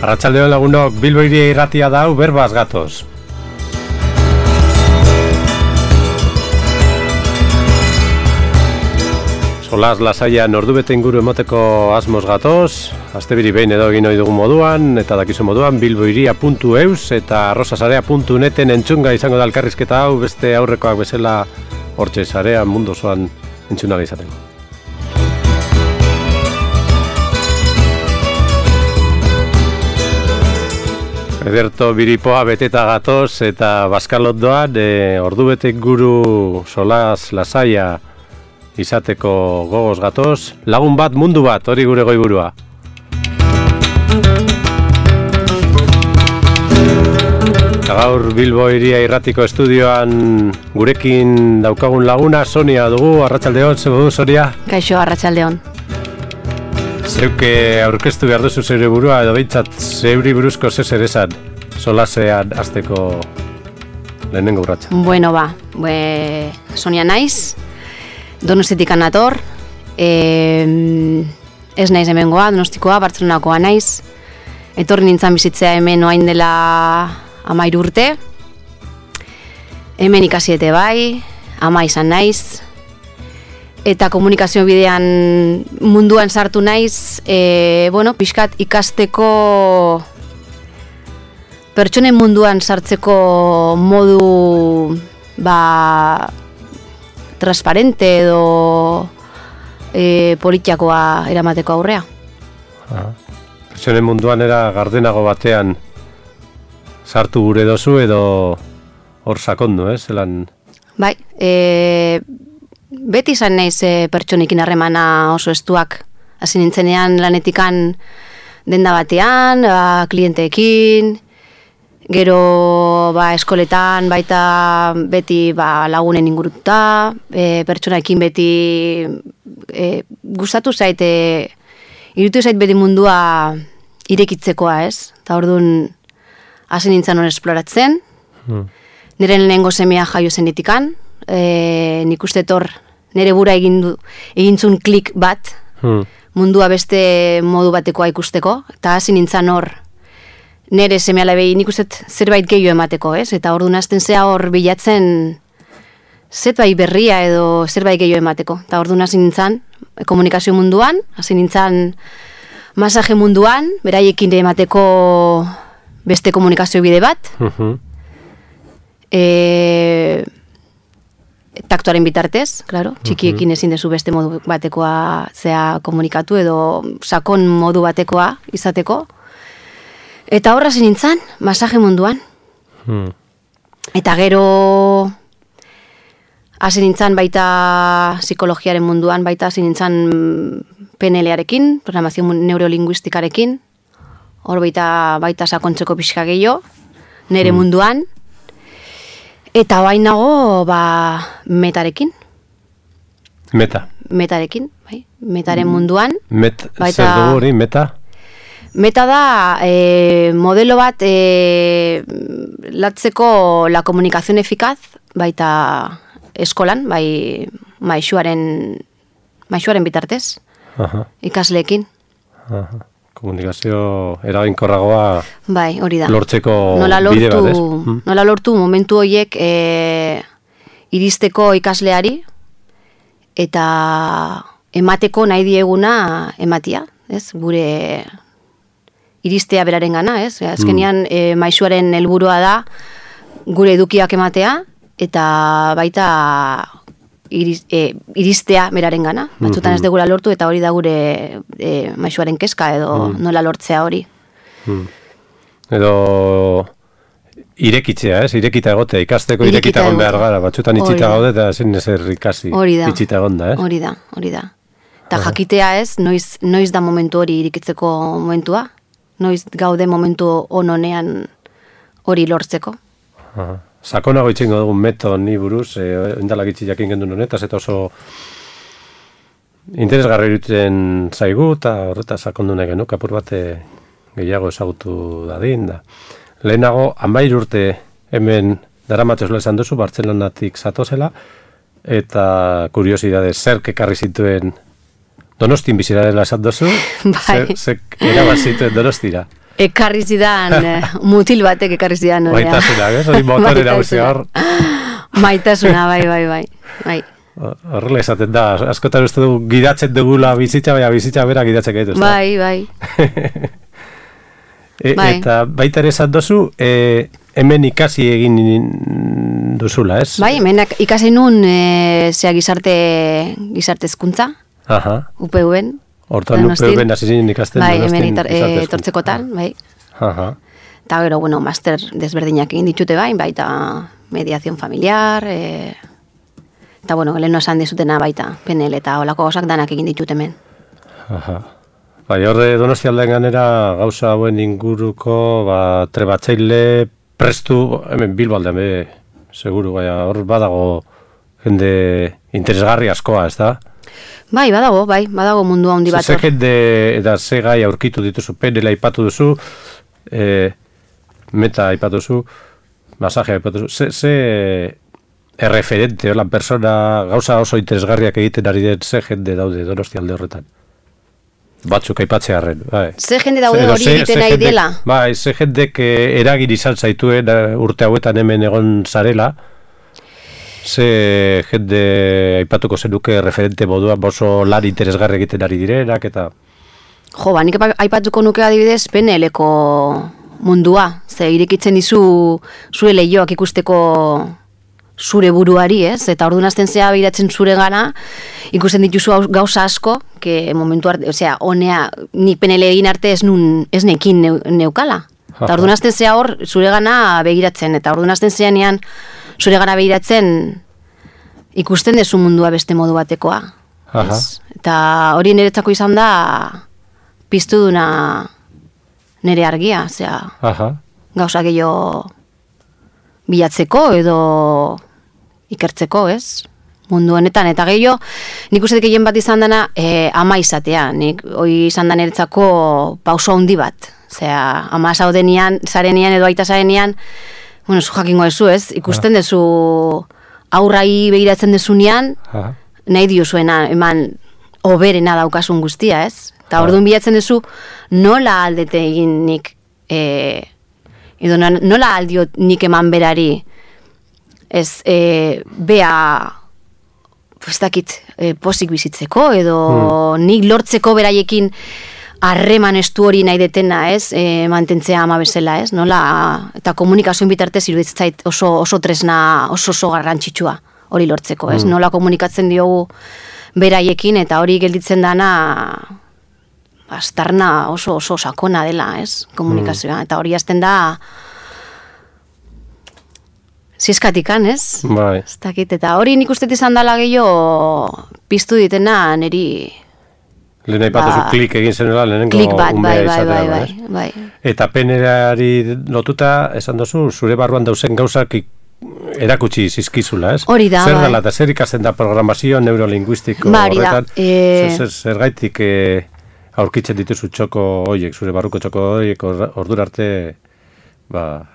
Arratsaldeon lagunok, Bilbo Hiria Irratia da, berbaz gatoz. Solas lasaian ordubete inguru emoteko asmoz gatoz, astebiri behin edo egin ohi dugun moduan, eta dakizu moduan, bilbohiria.eus eta arrosasarea.neten entzunga izango da elkarrizketa hau, beste aurrekoak bezala hortxe sarean mundu osoan entzunga izateko. Ederto biripoa beteta gatoz eta Baskalot doan, ordubete inguru solas lasaia izateko gogoz gatoz, lagun bat, mundu bat, hori gure goiburua. Eta gaur Bilbo Hiria Irratiko estudioan gurekin daukagun laguna, Sonia dugu, arratsaldeon, zer modu, Sonia? Kaixo, arratsaldeon. Zeuke aurkeztu behar duzu zeure burua, edo behintzat zeuri buruzko zer esan, solasean azteko lehenengo urratsa. Bueno, Sonia naiz, Donostitik nator, ez naiz hemengoa, Donostikoa, Bartzelonakoa naiz, etorri nintzen bizitzea hemen oain dela 13 urte, hemen ikasiete bai, ama izan naiz, eta komunikazio bidean munduan sartu naiz, pixkat ikasteko, pertsonen munduan sartzeko modu, transparente edo politiakoa eramateko aurrea. Pertsonen munduan era gardenago batean sartu gure dozu edo hor sakondu, zelan? Bai, beti izan naiz pertsonekin harremana oso estuak. Hasi nintzenean lanetikan denda batean, klienteekin, gero eskoletan baita beti lagunen ingurututa, pertsonaekin beti gustatu zait, irutu zait beti mundua irekitzekoa, ez? Eta orduan hasi nintzen hor esploratzen, niren lehenengo semea jaio zenitikan, nik uste tor nire bura egintzun klik bat, mundua beste modu batekoa ikusteko, eta hasi nintzen hor nire seme-alabei nik uste zerbait gehiago emateko, ez? Eta orduan hasten zea hor bilatzen zerbait berria edo zerbait gehiago emateko. Eta orduan hasi nintzen komunikazio munduan, hasi nintzen masaje munduan, beraiekin emateko beste komunikazio bide bat, taktuaren bitartez, claro, txikiekin ezin dezu beste modu batekoa zea komunikatu edo sakon modu batekoa izateko. Eta horra hasi nintzen, masaje munduan. Eta gero hasi nintzen baita psikologiaren munduan, baita hasi nintzen PNL-arekin, programazio neurolinguistikarekin, hor baita sakontzeko pixka gehiago, nire munduan. Eta bain nago, metarekin. Metarekin, bai, metaren munduan. Zer dugu hori, meta? Meta da modelo bat latzeko la komunikazio efikaz, baita eskolan, bai maisuaren bitartez, ikasleekin. Komunikazio eraginkorragoa bai, hori da. Lortzeko bide bat, ez? Nola lortu momentu horiek iristeko ikasleari eta emateko nahi dieguna ematia, ez? Gure iristea beraren gana, ez? Azkenean maisuaren helburua da gure edukiak ematea eta baita iristea beraren gana. Batzutan ez degula lortu eta hori da gure maisuaren kezka edo nola lortzea hori. Edo irekitzea, ez? Irekita egotea, ikasteko irekita egon behar gara. Batzutan itxita gaude eta ezin ezer ikasi itxita egon da, ez? Hori da. Eta jakitea ez, noiz da momentu hori irekitzeko momentua? Noiz gaude momentu honean hori lortzeko. Sakonago itxingo dugun meto ni buruz, endalak itxi jakin gendun honetaz, eta oso interesgarri irutzen zaigu, eta horreta sakondu nahi genuk, apur bate gehiago ezagutu dadin. Lehenago, 13 urte hemen daramatezula esan duzu, Bartzelonatik zatozela, eta kuriosidade zerk ekarri zituen Donostin bizira dela esan duzu, bai. Zek erabaz zituen Donostira. ekarri zidan, mutil batek ekarri zidan. Maitasuna, ez? Hori motore nagusia hor. Maitasuna, bai. Horrela esaten da, askotan uste du gidatzen dugula bizitza, baina bizitza bera gidatzen gaitu. Bai. Eta baita ere esan dozu, hemen ikasi egin duzula, ez? Bai, hemen ikasi nun gizarte hezkuntza. UPV-en. Hortan UPV-en hasi zinen ikasten. Bai, hemen etortzekotan, bai. Eta gero, master desberdinak egin ditute baita mediación familiar, eta lehen esan dizutena baita, PNL eta olako gozak danak egin ditut hemen. Bai, horre Donostialdean ganera gauza hauen inguruko, trebatzaile prestu, hemen Bilbaldean seguru, hor badago jende interesgarri askoa, ez da? Bai, badago mundua handi bat. Ze jende eta ze gai aurkitu dituzu, PNL aipatu duzu, meta aipatu duzu, masaje aipatu duzu, ze erreferente, hola persona, gauza oso interesgarriak egiten ari den ze jende daude Donostialde horretan. Batzuk aipatzearren, bai. Ze jende daude hori egiten nahi dela? Bai, ze jendek eragin izan zaituen urte hauetan hemen egon zarela, ze jende aipatuko zenuke referente moduan oso lan interesgarri egiten ari direnak, eta... Jo, nik aipatuko nuke adibidez PNL-ko mundua, ze irekitzen dizu zure lehioak ikusteko zure buruari, ez? Eta orduan hasten zea behiratzen zure gana, ikusten dituzu gauza asko, que momentu arte, honea, nik PNL egin arte ez nekin neukala. Eta orduan hasten zea hor zure gana begiratzen, eta orduan hasten zea nean zure gana begiratzen ikusten dezu mundua beste modu batekoa. Eta hori niretzako izan da piztu duna nire argia, gauza gehiago bilatzeko edo ikertzeko, ez? Mundu honetan, eta gehiago, nik uste gehien bat izan dena ama izatea, nik hori izan da niretzako pauso handi bat, ama zarenean edo aita zarenean, zu jakingo dezu, ez? Ikusten dezu aurrai begiratzen dezunean, nahi diozuena eman oberena daukasun guztia, ez? Eta orduan bilatzen dezu nola aldete egin nik edo nola aldiot nik eman berari ez bea posik bizitzeko edo nik lortzeko beraiekin harreman estu hori nahi detena, ez, mantentzea ama bezala, ez, nola, eta komunikazioen bitartez iruditzait oso tresna, oso garrantzitsua hori lortzeko, ez, nola komunikatzen diogu beraiekin, eta hori gelditzen dana aztarna oso sakona dela, ez, komunikazioa, eta hori azten da zizkatikan, ez? Bai. Ez dakit, eta hori nik uste izan dela gehiago piztu ditena niri... Lehen aipatuzu klik egin zenuela, lehenengo klik bat, umea bai. Eta PNL-ari lotuta, esan duzu, zure barruan dauzen gauzak erakutsi zizkizula, ez? Hori da, zer dela, eta zer ikasten da programazio neurolinguistiko horretan? Zergaitik aurkitzen dituzu txoko horiek, zure barruko txoko horiek ordura arte...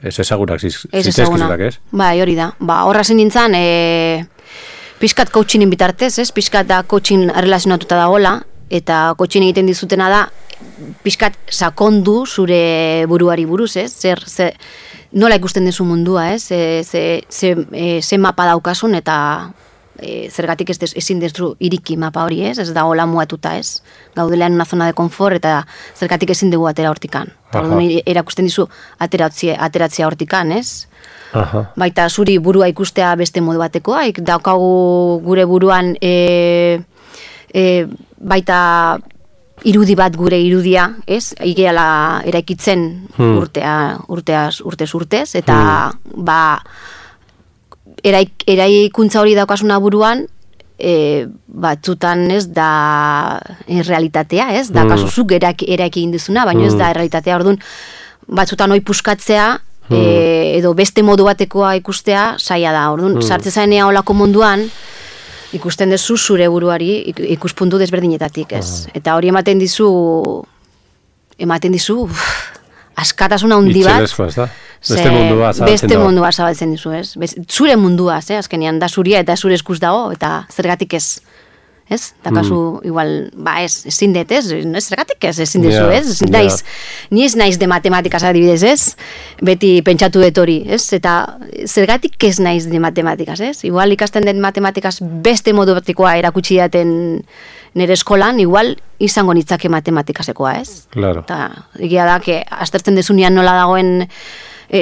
ez ezagunak zitezkizunak, ez? Bai, hori da. Horra zen nintzen, pixkat coachingin bitartez, ez? Pixkat da coaching relazionatuta da hola, eta coaching egiten dizutena da, pixkat sakondu zure buruari buruz, ez? Nola ikusten dezu mundua, ez? Ze mapa daukasun, eta zergatik ezin dezu iriki mapa hori, ez? Ez da hola muatuta, ez? Gaudela en una zona de confort, eta zergatik ezin dugu atera hortikan. Erakusten dizu ateratzea hortikan, ez? Baita zuri burua ikustea beste modu batekoa, daukagu gure buruan baita irudi bat gure irudia, ez? Igeala eraikitzen urtez, eta eraikuntza hori daukasuna buruan, batzutan ez da realitatea, ez? Da kasuzuk eraiki induzuna, baina ez da realitatea, orduan batzutan hoi puskatzea, edo beste modu batekoa ikustea, saia da, orduan sartze zainea olako munduan, ikusten dezu zure buruari ikuspuntu desberdinetatik, ez? Eta hori ematen dizu askatasuna handi bat. Itxelezkoa, ez da? Beste mundua zabaltzen dizu, ez? Zure mundua, azkenean, da zuria eta zure eskuz dago, eta zergatik ez ez? Eta kasu, igual, ezin dut, ez? Zergatik ezin dezu, ez? Ni ez naiz de matematikaz adibidez, ez? Beti pentsatu dut hori, ez? Eta zergatik ez naiz de matematikaz, ez? Igual ikasten den matematikaz beste modu batikoa erakutsi daten nire eskolan, igual izango nitzake matematikasekoa, ez? Claro. Eta egia da, aztertzen dezunean nola dagoen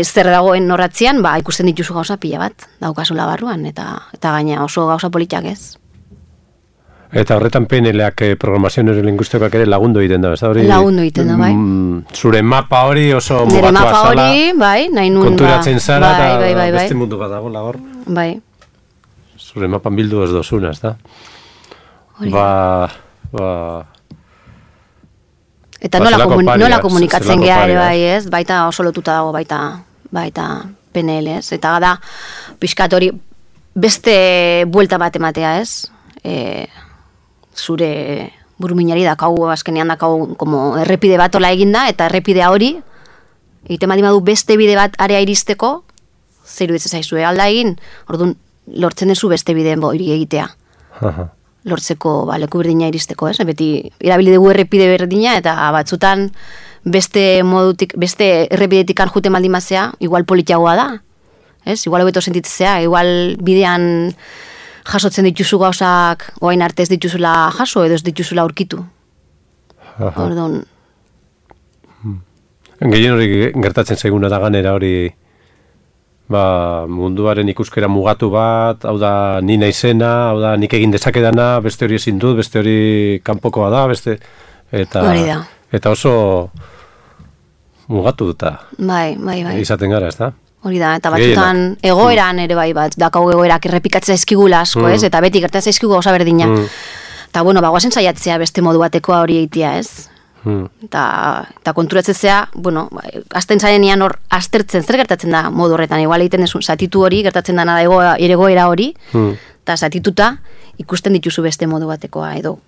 zer dagoen norratzean, ikusten dituzu gauza pila bat, daukazula barruan, eta gaina oso gauza politak, ez? Eta horretan PNL-ak programazio neurolingüistikoak ere lagundu egiten da, ez da hori? Lagundu egiten da, bai. Zure mapa hori oso mugatua zala. Nire mapa hori, bai, nahi nun. Konturatzen zara, eta beste mundu bat dago lagor. Bai. Zure mapan bildu ez dozuna, ez da? Eta nola komunikatzen geha ere bai, ez? Baita oso lotuta dago, baita PNL, ez? Eta da, pixkat hori beste buelta bat ematea, ez? Zure buruminari dakau, azkenean dakau, como errepide bat ola eginda, eta errepidea hori, egiten badimadu beste bide bat area iristeko, zer iruditzen zaizue alda egin, orduan lortzen dezu beste bideen hori egitea. Lortzeko leku berdina iristeko, ez? Beti erabili dugu errepide berdina, eta batzutan beste errepidetik jute maldimazea, igual politiagoa da, ez? Igual hobeto sentitzea, igual bidean jasotzen dituzu gauzak, oain arte ez dituzula jaso, edo ez dituzula aurkitu. Orduan. Gehien hori gertatzen zaiguna da ganera hori, munduaren ikuskera mugatu bat, hau da ni naizena, hau da nik egin dezakedana, beste hori ezin dut, beste hori kanpokoa da, beste eta oso mugatu duta. Bai. Izaten gara, ez da? Hori da, eta batzutan egoeran ere bai bat, dakau egoerak errepikatzea eskigula asko, ez? Eta beti gertatzea eskigu gauza berdina. Eta guazen saiatzea beste modu batekoa hori egitea, ez? Eta konturatzea, azten zarenean hor aztertzen, zer gertatzen da modu horretan, igual egiten desu, zatitu hori, gertatzen dana da egoera hori, eta zatituta ikusten dituzu beste modu batekoa, edo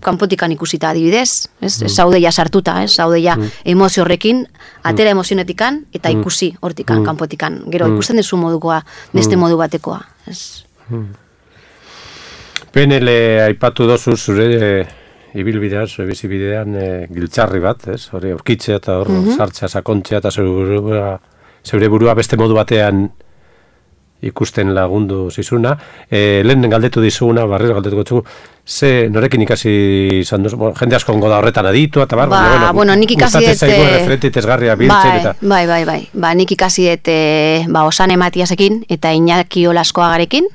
kanpotikan ikusita adibidez, ez zaudeia sartuta, ez zaudeia emozio horrekin, atera emozionetikan, eta ikusi hortikan, kanpotikan, gero ikusten dezu modukoa, beste modu batekoa, ez. PNL aipatu dozu zure ibilbidean, zure bizibidean giltzarri bat, ez? Hori aurkitzea eta hor sartzea, sakontzea eta zeure burua beste modu batean ikusten lagundu zizuna. Lehen galdetu dizuguna, barriro galdetuko txugu, norekin ikasi izan duzu? Jende asko ongo da horretan aditu, eta nik ikasi gustatzen zaigu referente itezgarria biltzen, eta... Bai, nik ikasi Osane Matiasekin eta Iñaki Olaskoagarekin.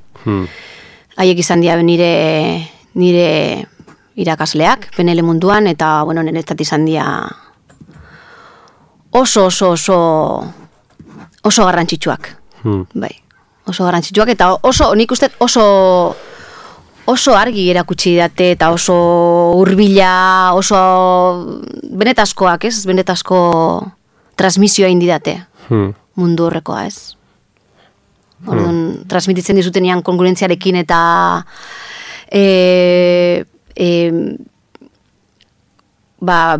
Haiek izan dira nire irakasleak, PNL munduan, eta, niretzat izan dira oso garrantzitsuak. Bai, oso garrantzitsuak, eta nik uste oso argi erakutsi date, eta oso hurbila, oso benetazkoak, ez? Benetazko transmisioa indidate mundu horrekoa, ez? Orduan, transmititzen dizutenean kongruentziarekin eta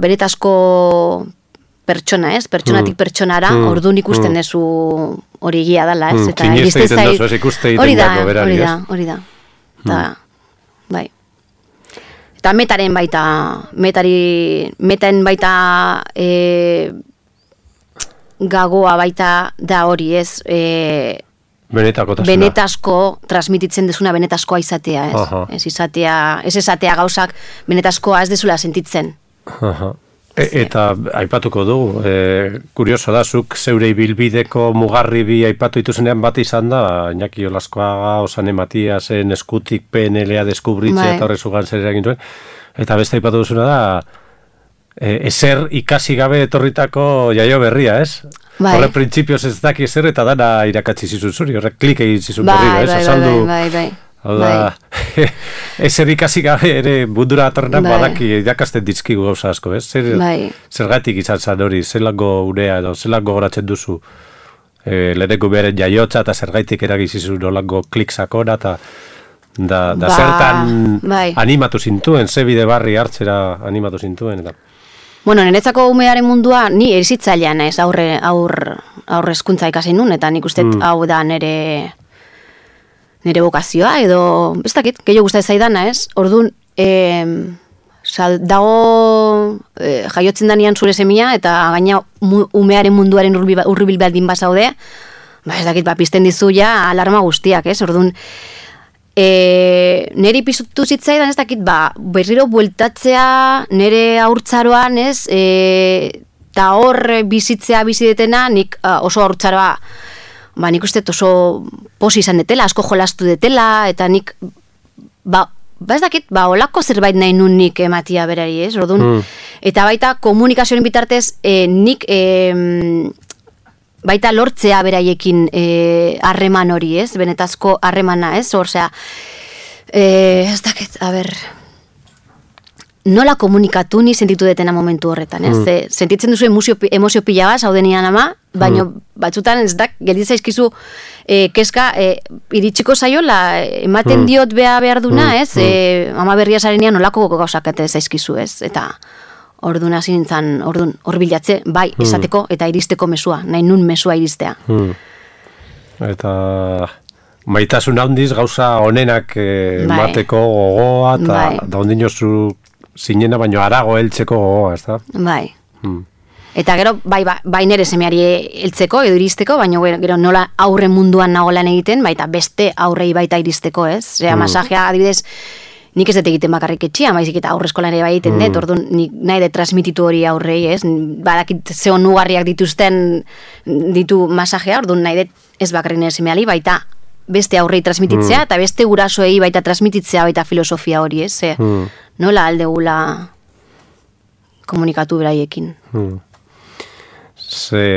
benetazko pertsona, ez? Pertsonatik pertsonara, orduan ikusten dezu hori egia dela, ez? Kineste egiten dozu, ez ikuste egiten dako berari, ez? Hori da. Bai. Eta metaen baita gagoa baita da hori, ez? Benetazko transmititzen dezuna benetazkoa izatea, ez? Ez izatea gauzak benetazkoa ez dezula sentitzen. Eta aipatuko dugu, kurioso da, zuk zeure ibilbideko mugarri bi aipatu dituzenean bat izan da, Iñaki Olaskoaga, Osane Matiasen eskutik PNL-a deskubritzea eta horrezugan zer eragin zuen, eta beste aipatu duzuna da, ezer ikasi gabe etorritako jaio berria, ez? Horre printzipioz ez daki ezer eta dana irakatsi zizun zuri, horre klik egin zizun berriro, ez? Bai. Hau da, ezer ikasi gabe ere mundura atorrenak badaki irakasten dizkigu gauza asko, ez? Zergatik izan zan hori, zelango unea edo zelango goratzen duzu lehenengo beren jaiotza eta zergaitik eragizizun nolango klik sakona eta da zertan animatu zintuen, ze bide barri hartzera animatu zintuen eta... Niretzako umearen mundua, ni erizitzailean ez, aurre hezkuntza ikasi nun, eta nik uste hau da nire nire bokazioa, edo, ez dakit, gehiago gustatzen zaidana, ez? Orduan, dago jaiotzen danean zure semia, eta gaina umearen munduaren urribil baldin bazaude, ez dakit, pizten dizu ja alarma guztiak, ez? Orduan, niri pizutu zitzaidan, ez dakit, berriro bueltatzea nire haurtzaroan, ez? Eta hor bizitzea bizidetena, nik oso haurtzaroa, nik uste oso posi izan detela, asko jolastu detela, eta nik, ez dakit, olako zerbait nahi nun nik ematia berari, ez? Orduan, eta baita komunikazioaren bitartez, nik baita lortzea beraiekin harreman hori, ez? Benetazko harremana, ez? Osea, ez dakit, nola komunikatu ni sentitu detena momentu horretan, ez? Sentitzen duzu emozio pila bat, zaudenian ama, baina batzutan ez dak, gelditzen zaizkizu keska, iritsiko zaiola, ematen diot behar duna, ez? Ama berria zarenean nolako gauzakate zaizkizu, ez? Eta orduan hasi nintzen, hor bilatze, bai, esateko eta iristeko mesua, nahi nun mesua iristea. Eta maitasun handiz gauza honenak mateko gogoa, eta da ondinozu zinena, baino arago heltzeko gogoa, ez da? Bai. Eta gero, bai nere semeari heltzeko edo iristeko, baina gero nola aurre munduan nagolan egiten, baita beste aurrei baita iristeko, ez? Zera, masajea adibidez, nik ez dut egiten bakarrik etxia, baizik eta aurre eskolan ere bai egiten dut, orduan nik nahi dut transmititu hori aurrei, ez? Badakit ze onugarriak ditu masajea, orduan nahi dut ez bakarrik nire semeali, baita beste aurrei transmititzea, eta beste gurasoei baita transmititzea baita filosofia hori, ez? Nola aldegula komunikatu beraiekin.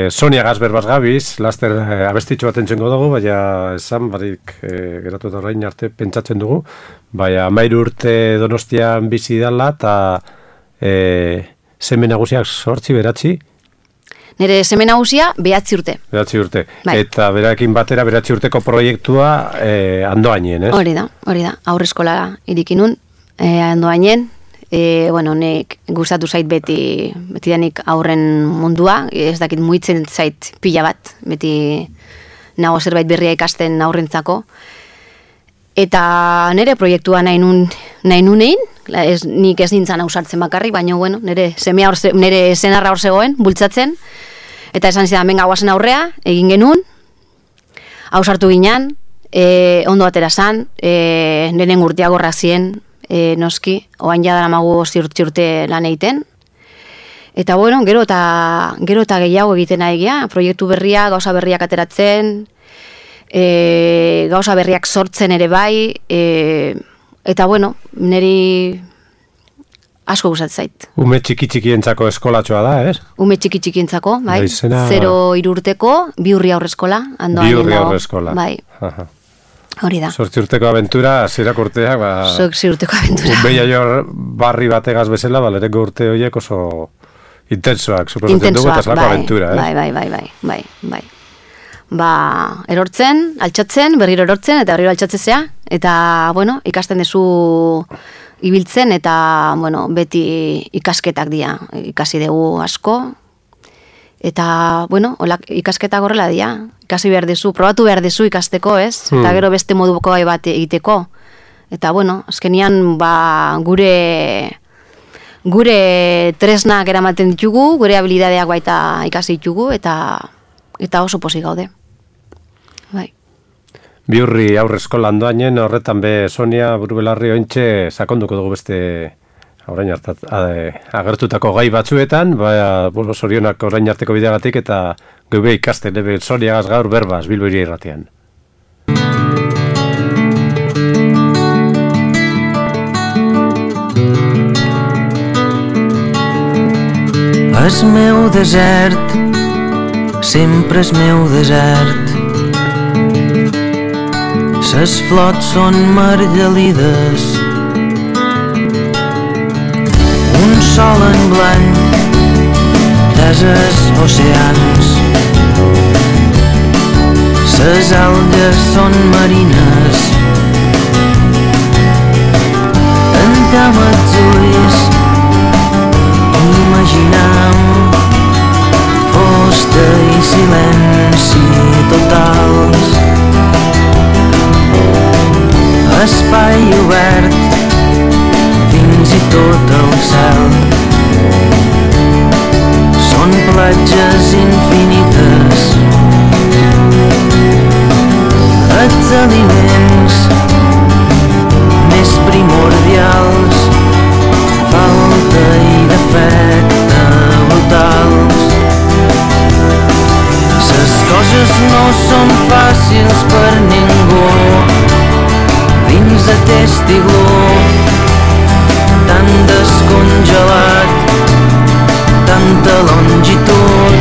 Sonia Gasber bazgabiz, laster abestitxo bat entzengo dugu, baina esan barik geratu eta orain arte pentsatzen dugu, baina 13 urte Donostian bizi dala, eta seme nagusiak 8 9? Nire seme nagusia 9 urte. 9 urte. Bai. Eta berakin batera 9 urteko proiektua Andoainen, ez? Hori da, aurre eskola irikinun, Andoainen, nek gustatu zait beti danik aurren mundua, ez dakit muitzen zait pila bat, beti nago zerbait berria ikasten aurrentzako. Eta nire proiektua nahi nunein, nik ez nintzen ausartzen bakarrik, baina nire senarra hor zegoen, bultzatzen, eta esan zidan, benga guazen aurrea, egin genuen, ausartu ginen, ondo atera zan, nire urteagorra zien, noski, oain jadara magu 5 urte lan egiten. Eta gero eta gehiago egiten egia, proiektu berria, gauza berriak ateratzen, gauza berriak sortzen ere bai, eta niri asko gustatzen zait. Ume txiki-txikientzako eskolatxoa da, ez? Ume txiki-txikientzako, bai. 0 urteko, Biurri aurre eskola. Biurri aurre eskola. Bai. Hori da. 8 urteko aventura, zirak urteak, 8 urteko aventura. Beia jo barri bategaz bezala, lehenko urte horiek oso intensoak, suposatzen dugu, eta zelako aventura, ez? Bai. Erortzen, altxatzen, berriro erortzen, eta berriro altxatzea, eta, ikasten dezu ibiltzen, eta, beti ikasketak dira, ikasi dugu asko, eta, ikasketak horrela dira, ikasi behar dezu, probatu behar dezu ikasteko, ez? Eta gero beste modu bat egiteko. Eta, azkenian, gure tresnak eramaten ditugu, gure habilidadeak baita ikasi ditugu, eta oso pozik gaude. Bai. Biurri aurre eskola Andoainen, horretan be Sonia Burubelarri ointxe sakonduko dugu beste orain agertutako gai batzuetan, zorionak orain arteko bideagatik, eta geube ikasten, Soniagaz gaur berbaz, Bilbo Hiri Irratian. És meu desert, sempre és meu desert. Ses flots són margalides, un sol en blanc, deses oceans. Ses algues són marines, tancam els ulls, imaginam fusta i silenci totals. obert, fins i tot el cel. Són platges infinites, els aliments més primordials, falta i defecte brutals. Les coses no són fàcils per ningú dins aquest iglú tan descongelat, tanta longitud,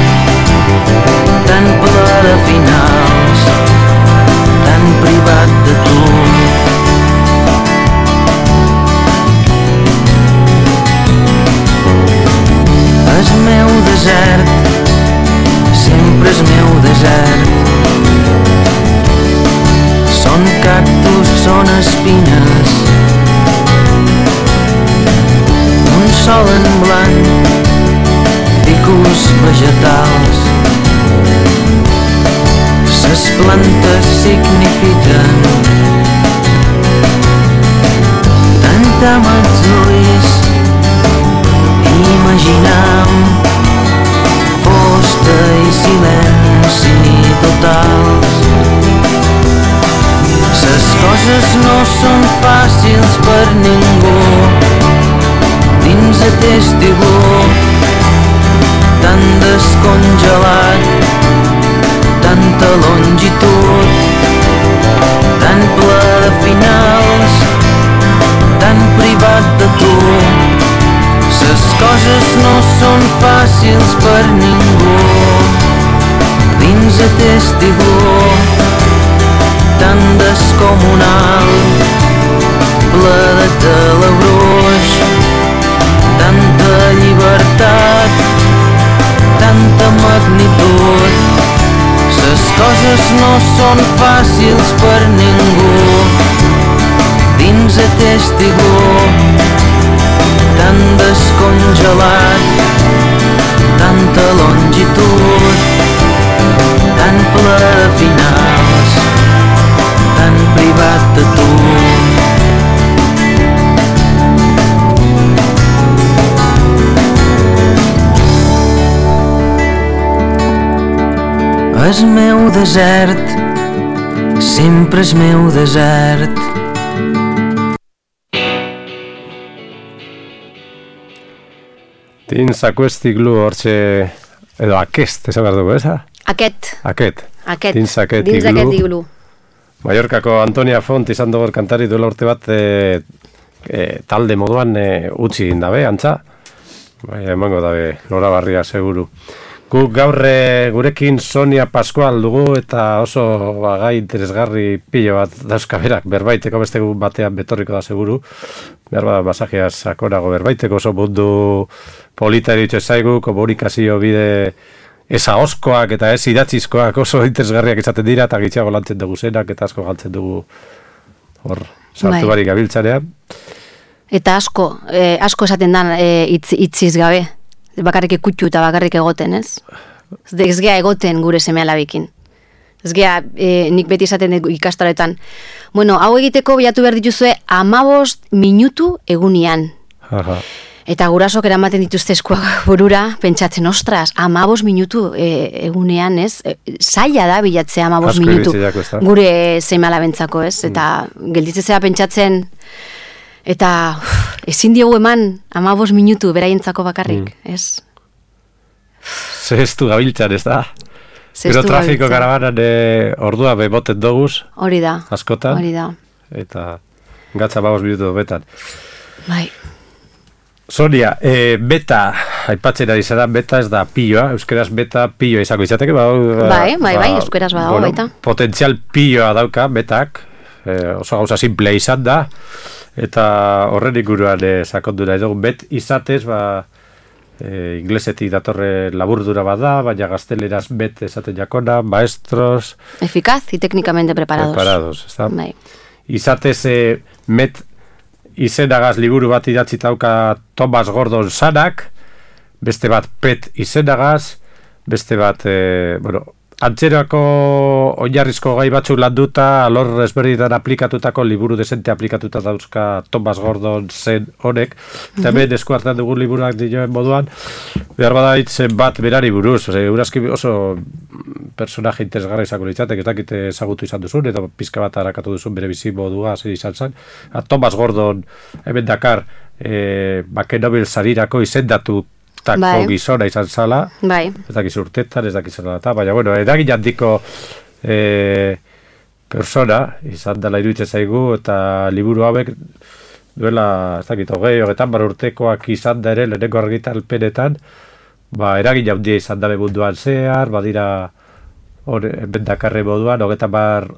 tan ple de finals, tan privat de tu. El meu desert sempre és meu desert. Són cactus, són espines, un sol en blanc, ficus vegetals. Ses plantes signifiquen tant amb els ulls, imaginam fosta i silenci totals. Ses coses no són fàcils per ningú dins aquest iglú tan descongelat, tanta longitud, tan ple de finals, tan privat de tu. Les coses no són fàcils per ningú dins aquest iglú tan descomunal, ple de telebruix, tanta llibertat, tanta magnitud. Les coses no són fàcils per ningú dins aquest iglú tan descongelat, tanta longitud, tan ple de finals, tan privat de tu. El meu desert sempre és meu desert. Dins aquest iglu hortxe, edo aquest, esan behar dugu, eza? Aquest. Dins aquest iglu. Mallorcako Antonia Font izan dugu kantari duela urte bat talde moduan utzi dabe, antza. Bai, emango dabe, lora barria, seguru. Guk gaur gurekin Sonia Pascual dugu eta oso gai interesgarri pilo bat dauzkaberak berbaiteko beste batean betorriko da seguru. Behar bada masajea sakonago berbaiteko oso mundu polita eritxo zaigu, komunikazio bide eza oskoak eta ez idatzizkoak oso interesgarriak izaten dira eta gitxago lantzen dugu zenak eta asko galtzen dugu hor sartu barik gabiltzanean. Eta asko esaten da itziz gabe. Bakarrik ikutxu eta bakarrik egoten, ez? Ez gea egoten gure seme-alabekin. Ez gea, nik beti esaten ikastaroetan. Bueno, hau egiteko bilatu behar dituzue 15 minutu egunian. Aha. Eta gurasok eramaten dituzte eskuak burura, pentsatzen, ostras, 15 minutu egunean, ez? Zaila da bilatzea 15 minutu gure seme-alabentzako, ez? Eta gelditzea pentsatzen... Eta ezin diogu eman 15 minutu beraientzako bakarrik, ez? Zeheztu gabiltzan, ez da? Gero trafiko karabanan ordua beboten doguz. Hori da. Askotan. Hori da. Eta gatza 15 minutu betan. Bai. Sonia, beta, aipatzen ari zara, beta ez da pilloa, euskeraz beta pilloa izango izateke, bai, euskeraz badago, baita. Potentzial pilloa dauka, betak, oso gauza simplea izan da, eta horren inguruan sakondu nahi dugu, bet izatez, inglesetik datorre laburdura bada, baina gazteleraz bet esaten jakona, maestros... Eficaz y técnicamente preparados. Preparados, ez da? Bai. Izatez, met izenagaz liburu bat idatzi dauka Thomas Gordon Sanak, beste bat pet izenagaz, beste bat, antzerako oinarrizko gai batzuk landuta, alor ezberdinetan aplikatutako, liburu desente aplikatuta dauzka Thomas Gordon zen honek, eta hemen esku hartan dugun liburuak dioen moduan, behar bada hitzen bat berari buruz, eurazki oso personaje interesgarra izango litzatek, ez dakit ezagutu izan duzun, eta pizka bat harakatu duzun bere bizi modua, zer izan zen. Thomas Gordon hemen dakar, Nobel sarirako izendatu tako gizona izan zala, ez dakiz urtetan, ez dakiz zela, baina, bueno, eragin handiko persona izan dela iruditzen zaigu, eta liburu hauek duela, ez dakit, 20-30 urtekoak izan da ere, lehenengo argitalpenetan, eragin handia izan dabe munduan zehar, badira bendakarre moduan, 30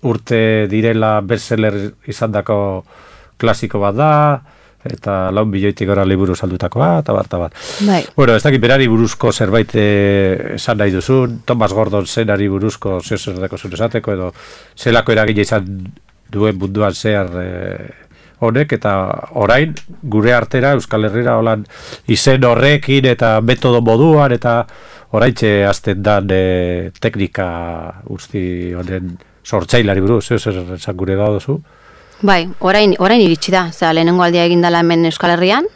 urte direla bestseller izan dako klasiko bat da, eta 4 milioitik gora liburu saldutakoa, eta bat. Bueno, ez dakit berari buruzko zerbait esan nahi duzun, Thomas Gordon zenari buruzko zerdeko zuen esateko, edo zelako eragina izan duen munduan zehar honek, eta orain gure artera Euskal Herrira holan izen horrekin eta metodo moduan, eta oraintxe hasten dan teknika guzti honen sortzailari buruz, zer esan gure gauduzu? Bai, orain iritsi da, lehenengo aldia egin dela hemen Euskal Herrian,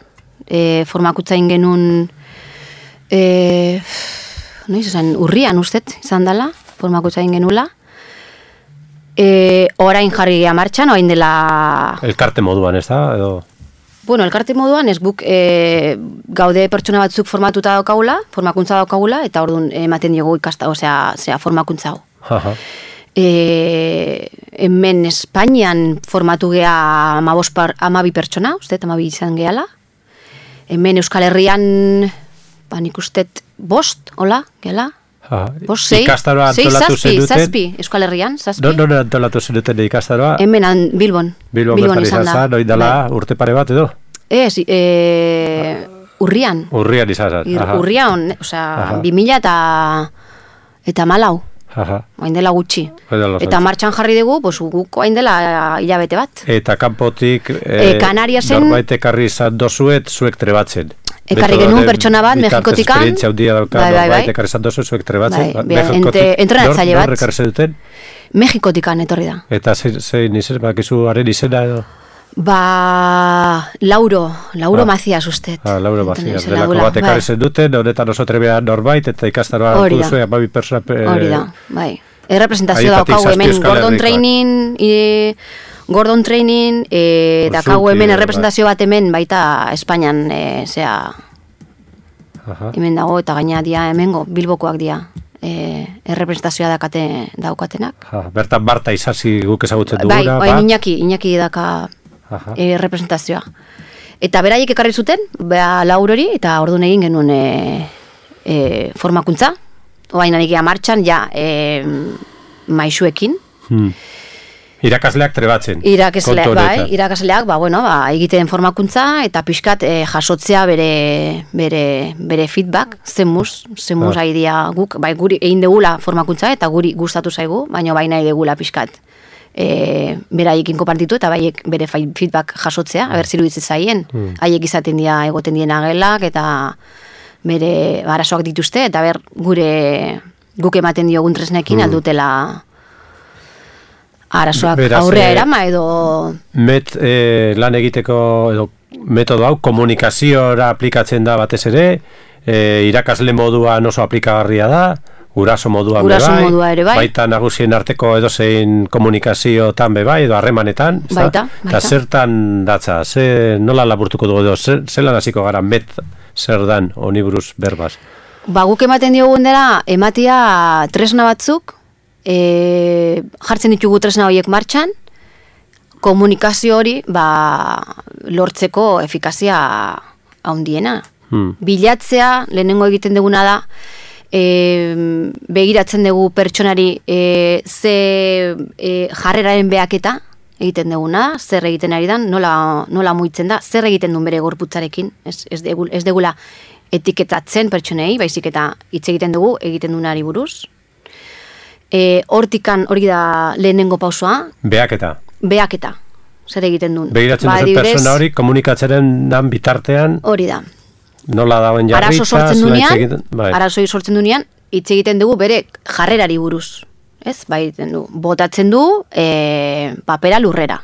formakuntza ingenun, urrian ustet izan dela, formakuntza ingenula, orain jarri gea martxan, orain dela... Elkarte moduan, ez da? Edo... Bueno, elkarte moduan, ez guk gaude pertsona batzuk formatuta daukagula, formakuntza daukagula, eta orduan ematen diogu ikasta, zera formakuntza hau. Hemen Espainian formatu gea 12 pertsona, ustet, 12 izan gehala. Hemen Euskal Herrian, nik ustet 5, hola, gehala. 6, 7 Euskal Herrian, 7. Non antolatu zenuten ikastaroa? Hemen Bilbon izan da. Noi dela urte pare bat edo? Ez, urrian. Urrian izan da. Urrian, 2014. Oain dela gutxi. Eta martxan jarri dugu, guk oain dela hilabete bat. Eta kanpotik Kanariasen norbait ekarri izan dozuet, zuek trebatzen. Ekarri genuen pertsona bat, Mexikotikan. Esperientzia handia dauka, norbait ekarri izan dozuet, zuek trebatzen. Entrenatzaile bat. Nor ekarri zen duten? Mexikotikan etorri da. Eta zein izen, bakizu haren izena edo? Lauro Macias usted. Lauro Macias, delako bat ekarri zen duten, honetan oso trebea norbait, eta ikastaroa hartu duzu, 12 persona... Hori da, bai. Errepresentazio daukagu hemen Gordon Training, daukagu hemen errepresentazio bat hemen, baita Espainian, hemen dago, eta gaina dia hemengo, Bilbokoak dia. Errepresentazioa daukatenak. Bertan Marta Isasi guk ezagutzen duguna. Bai, Iñaki daka representazioa. Eta beraiek ekarri zuten, Laurori, eta orduan egin genuen formakuntza. Oain anikea martxan, maisuekin. Irakasleak trebatzen. Irakasleak, egiten formakuntza, eta pixkat jasotzea bere feedback, zenmuz haidia guk, guri egin degula formakuntza, eta guri gustatu zaigu, baina nahi degula pixkat. Beraiekin konpartitu eta baiek bere feedback jasotzea, ziru ditzen zaien. Haiek izaten dira egoten dien agelak eta bere arazoak dituzte, eta guk ematen diogun tresnekin aldutela arazoak aurrea erama edo... Lan egiteko edo metodo hau komunikaziora aplikatzen da batez ere, irakasle moduan oso aplikagarria da, guraso moduan ere bai, baita nagusien arteko edozein komunikaziotan bai, edo harremanetan, baita. Eta zertan datza, nola laburtuko dugu edo, zelan hasiko gara zer dan honi buruz berbaz? Guk ematen diogun dela, ematia tresna batzuk, jartzen ditugu tresna horiek martxan, komunikazio hori lortzeko efikazia handiena. Bilatzea, lehenengo egiten duguna da, begiratzen dugu pertsonari ze jarreraren behaketa egiten duguna, zer egiten ari dan, nola muitzen da, zer egiten duen bere gorputzarekin, ez degula etiketatzen pertsonei, baizik eta hitz egiten dugu, egiten duenari buruz. Hortikan hori da lehenengo pausoa. Behaketa. Zer egiten duen. Begiratzen duen persona hori, komunikatzeren bitartean. Hori da. Nola dauen jarritza. Arazoi sortzen dunean, hitz egiten dugu bere jarrerari buruz. Ez, bai, botatzen du papera lurrera.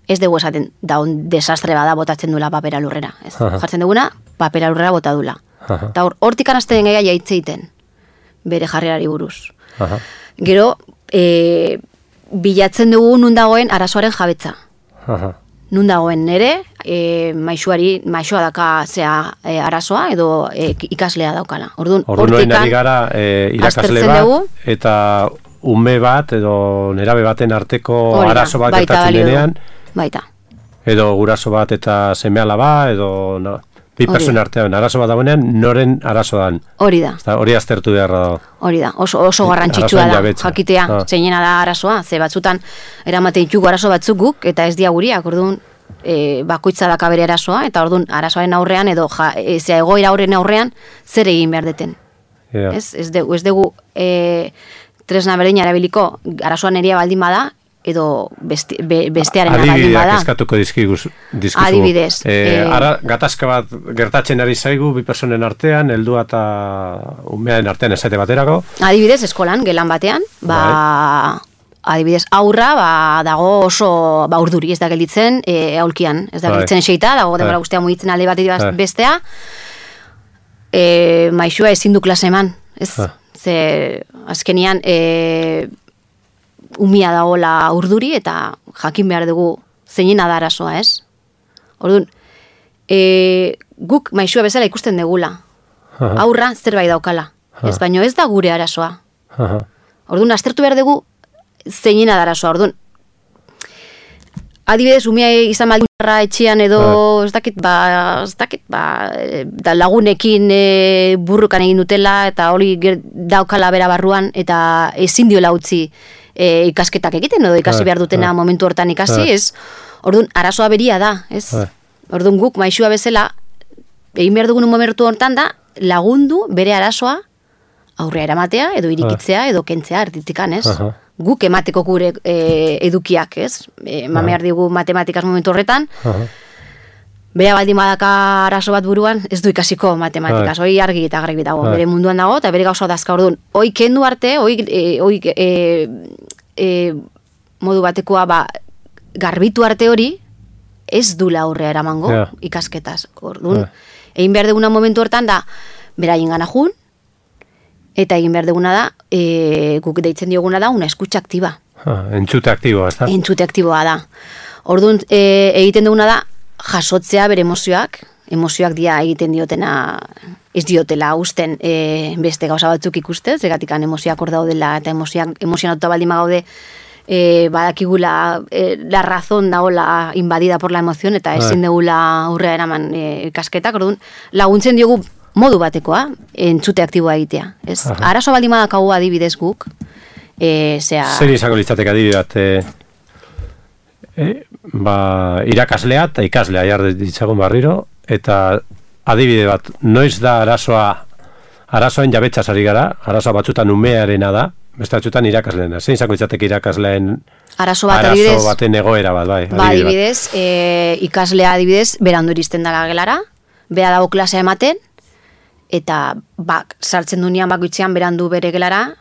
Ez dugu esaten, daun desastre bada botatzen dula papera lurrera. Ez, jartzen duguna, papera lurrera bota dula. Eta hortik anazten gaia jaitze egiten, bere jarrerari buruz. Gero, bilatzen dugu nun dagoen arazoaren jabetza. Nun dagoen nere, maixoa daka arazoa edo ikaslea daukana. Orduan ari gara irakasle bat eta ume bat edo nerabe baten arteko arazo bat gertatzen denean. Baita. Edo guraso bat eta seme-alaba edo bi pertsona artean arazo bat dagoenean, noren arazo dan. Hori da. Hori aztertu beharra da. Hori da, oso garrantzitsua da, jakitea, zeinena da arazoa, ze batzutan eramate ditugu arazo batzuk guk, eta ez diaguriak, orduan bakoitza daka bere arazoa, eta orduan arazoaren aurrean, edo egoera horren aurrean, zer egin behar deten. Ez dugu tresna berdina erabiliko, arazoan eria baldin bada, edo bestearen baldin bada. Adibideak eskatuko dizkizu. Adibidez. Gatazka bat gertatzen ari zaigu, bi personen artean, heldua eta umearen artean esate baterako. Adibidez, eskolan, gelan batean, adibidez, aurra dago oso urduri, ez da gelditzen aulkian, ez da gelditzen xeita, dago denbora guztia mugitzen alde bat bestea, maixua ezin du klase eman, ez? Ze, azkenian, umia dagoela urduri eta jakin behar dugu zeinena da arazoa, ez? Orduan, guk maixua bezala ikusten degula. Aurra zerbait daukala. Ez, baino ez da gure arazoa. Orduan, aztertu behar dugu zeinena da arazoa. Orduan, adibidez, umia izan baldinarra etxean edo ez dakit, da lagunekin burrukan egin dutela eta hori daukala bera barruan eta ezin diola utzi ikasketak egiten, edo ikasi behar dutena momentu hortan ikasi, ez? Orduan, arazoa beria da, ez? Orduan, guk maixua bezala, egin behar dugun momentu hortan da, lagundu bere arazoa aurrea eramatea, edo irikitzea, edo kentzea, erditikan, ez? Guk emateko gure edukiak, ez? Behar digu matematikaz momentu horretan, bera baldin badaka arazo bat buruan, ez du ikasiko matematikaz, hoi argi eta garbi dago, bere munduan dago, eta bere gauza dazka, orduan, hoi kendu arte, modu batekoa garbitu arte hori, ez dula aurrea eramango ikasketaz. Orduan, egin behar duguna momentu hortan da, bera egin gana jun, eta egin behar duguna da, guk deitzen dioguna da, una eskutxa aktiba. Entzute aktiboa, ez da? Entzute aktiboa da. Orduan, egiten duguna da, jasotzea bere emozioak dia egiten diotena, ez diotela usten beste gauza batzuk ikustez, egatikan emozioak hor daudela eta emozionatuta baldin gaude badakigula la razón daola invadida por la emoción eta ezin degula aurrea eraman ikasketak, orduan laguntzen diogu modu batekoa, entzute aktiboa egitea. Arazo baldin badakagu adibidez guk, zer izango litzateke adibidez irakaslea eta ikaslea jarri ditzagun barriro, eta adibide bat, noiz da arazoen jabetzaz ari gara, arazoa batzutan umearena da, beste batzutan irakasleena. Zein izango litzateke irakasleen arazo baten egoera bat, bai? Adibidez, ikaslea adibidez, berandu iristen dara gelara, bera dago klasea ematen, eta sartzen dunean bakoitzean berandu bere gelara,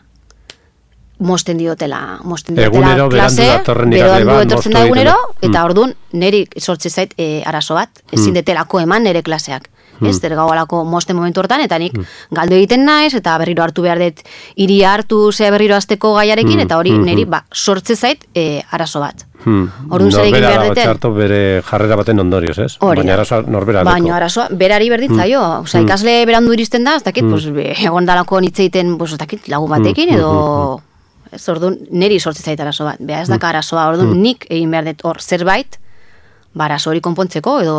mosten diotela egunero klase, berandu etortzen da egunero, eta orduan niri sortze zait arazo bat, ezin detelako eman nire klaseak. Ez, gaualako mosten momentu hortan, eta nik galdu egiten naiz, eta berriro hartu behar dut, iria hartu ze berriro azteko gaiarekin, eta hori niri sortze zait arazo bat. Orduan zer egin behar duten. Txarto bere jarrera baten ondorioz, ez? Baina arazoa norbera deko. Baina arazoa berari berditzaio. Osa, ikasle berandu iristen da, ez dakit, egon dalako nitzeiten, ez dakit, lagun batekin, edo... Orduan, niri sortze zait arazo bat. Beha ez daka arazoa, orduan nik egin behar dut hor zerbait, arazo hori konpontzeko, edo...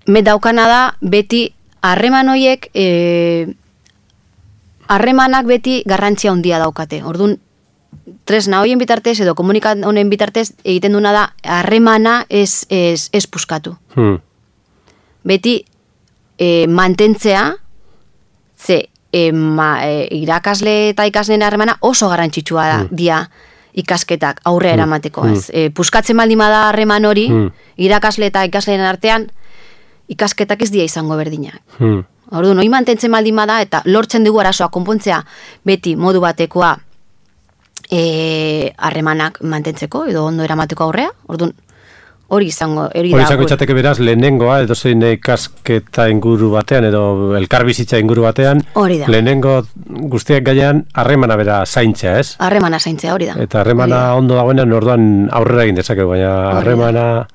Daukana da, beti, harreman horiek, harremanak beti garrantzia handia daukate. Orduan, tresna horien bitartez, edo komunikat honen bitartez, egiten duna da, harremana ez puskatu. Beti, mantentzea, ze, irakasle eta ikasleen harremana oso garrantzitsua da, dia ikasketak aurrea eramateko. Puskatzen baldin bada harreman hori, irakasle eta ikasleen artean, ikasketak ez dia izango berdinak. Orduan, hori mantentzen baldin bada eta lortzen dugu arazoa konpontzea beti modu batekoa harremanak mantentzeko edo ondo eramateko aurrea. Orduan, hori izango itzateke beraz, lehenengoa edo zein ikasketa inguru batean edo elkarbizitza inguru batean, lehenengo guztiak gaian harremana bera zaintzea, ez? Harremana zaintzea, hori da. Eta harremana ondo dagoenean orduan aurrera egin dezakegu, baina harremana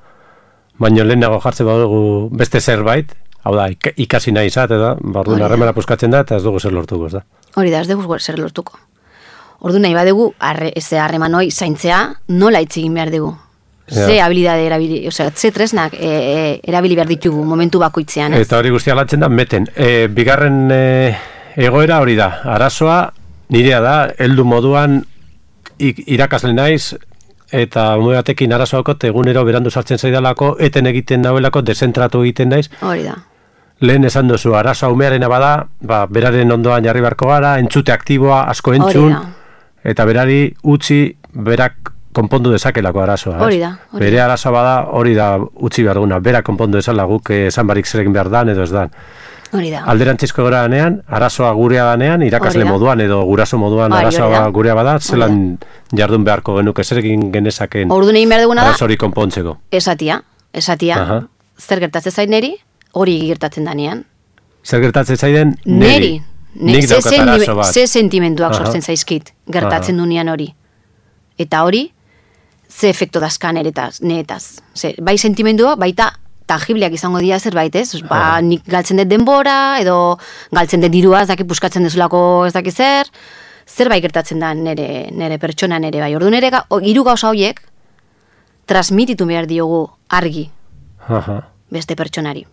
baino lehenago jartzen badugu beste zerbait, hau da, ikasi nahi izate da, orduan harremana puskatzen da eta ez dugu zer lortuko, ez da? Hori da, ez dugu zer lortuko. Orduan nahi badugu, harreman hori zaintzea nola hitz egin behar dugu. Ze habilidade erabili, ze tresnak erabili behar ditugu momentu bakoitzean. Eta hori guztia lantzen da, meten. Bigarren egoera hori da, arazoa nirea da, heldu moduan irakasle naiz, eta batekin arazoakot egunero berandu sartzen zaidalako, eten egiten dauelako, dezentratu egiten naiz. Hori da. Lehen esan duzu, arazoa umearena bada, beraren ondoan jarri barko gara, entzute aktiboa, asko entzun, eta berari utzi berak konpondu dezakelako arazoa. Hori da. Bere arazoa bada, hori da utzi behar duguna, berak konpondu dezala guk esan barik zer egin behar dan edo ez dan. Hori da. Alderantzizko gara danean, arazoa gurea danean, irakasle moduan edo guraso moduan arazoa gurea bada, zelan jardun beharko genuke, zer egin genezaken arazoari konpontzeko. Esatia, zer gertatzen zain neri, hori gertatzen danean. Zer gertatzen zaiden neri. Nik daukat arazo bat. Ze sentimenduak sortzen zaizkit, gertatzen dunean hori. Eta hori, ze efekto dazkan neretaz. Bai sentimendua, baita tangibleak izango dira zerbait, ez? Nik galtzen dut denbora, edo galtzen dut dirua, ez daki puskatzen dezulako ez daki zer, zerbait gertatzen da nere pertsona nere bai. Ordu nere hiru gauza horiek transmititu behar diogu argi beste pertsonari.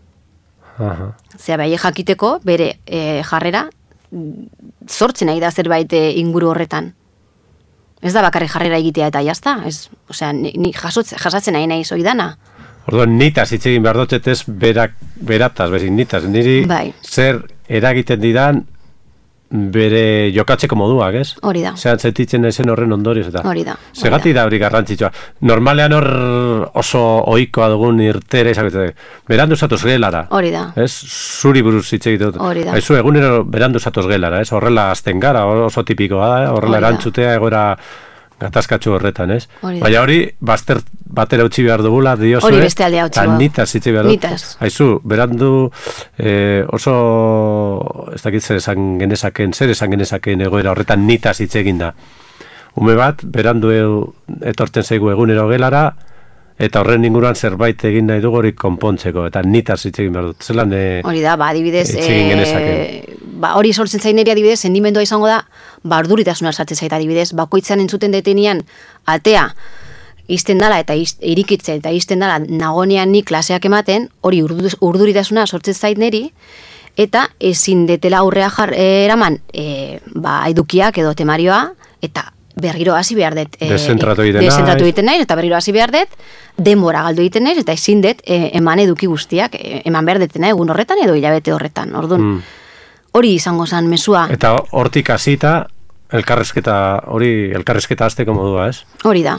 Zea bai jakiteko bere jarrera sortzen nahi da zerbait inguru horretan. Ez da bakarrik jarrera egitea eta jazta, osea, ni jasatzen nahi zoidana. Orduan, nitaz hitz egin behar dut ez berataz, bezin nitaz, niri zer eragiten didan bere jokatzeko moduak, ez? Hori da. Zeran sentitzen ezen horren ondorioz eta. Hori da. Segati da hori garrantzitsua. Normalean hor oso ohikoa dugun irtere, berandu zatoz gelara. Hori da. Ez? Zuri buruz hitz egiten dut. Hori da. Haizu, egunero berandu zatoz gelara, ez? Horrela azten gara, oso tipikoa da, horrela erantzutea egoera gatazkatxu horretan, ez? Baina hori, batera utzi behar dugula, diozue. Hori beste aldea utzi behar. Nitaz hitz behar dut. Haizu, berandu oso, ez dakit zer esan genezaken egoera horretan nitaz hitz egin da. Ume bat, berandu etortzen zaigu egunero gelara, eta horren inguruan zerbait egin nahi dugu hori konpontzeko, eta nitaz hitz egin behar dut. Zelan hori da, adibidez, hitz egin genezake. Hori sortzen zaineri adibidez, sendimendua izango da, urduritasuna sartzen zait adibidez, bakoitzan entzuten detenian atea izten dala eta irikitzen eta izten dala nagonean ni klaseak ematen, hori urduritasuna sortzen zait neri, eta ezin detela aurrea eraman edukiak edo temarioa, eta berriro hasi behar dut dezentratu egiten naiz, eta berriro hasi behar dut denbora galdu egiten naiz, eta ezin dut eman eduki guztiak, eman behar detena egun horretan edo hilabete horretan, orduan hori izango zen mesua. Eta hortik hasita elkarrizketa hasteko modua, ez? Hori da.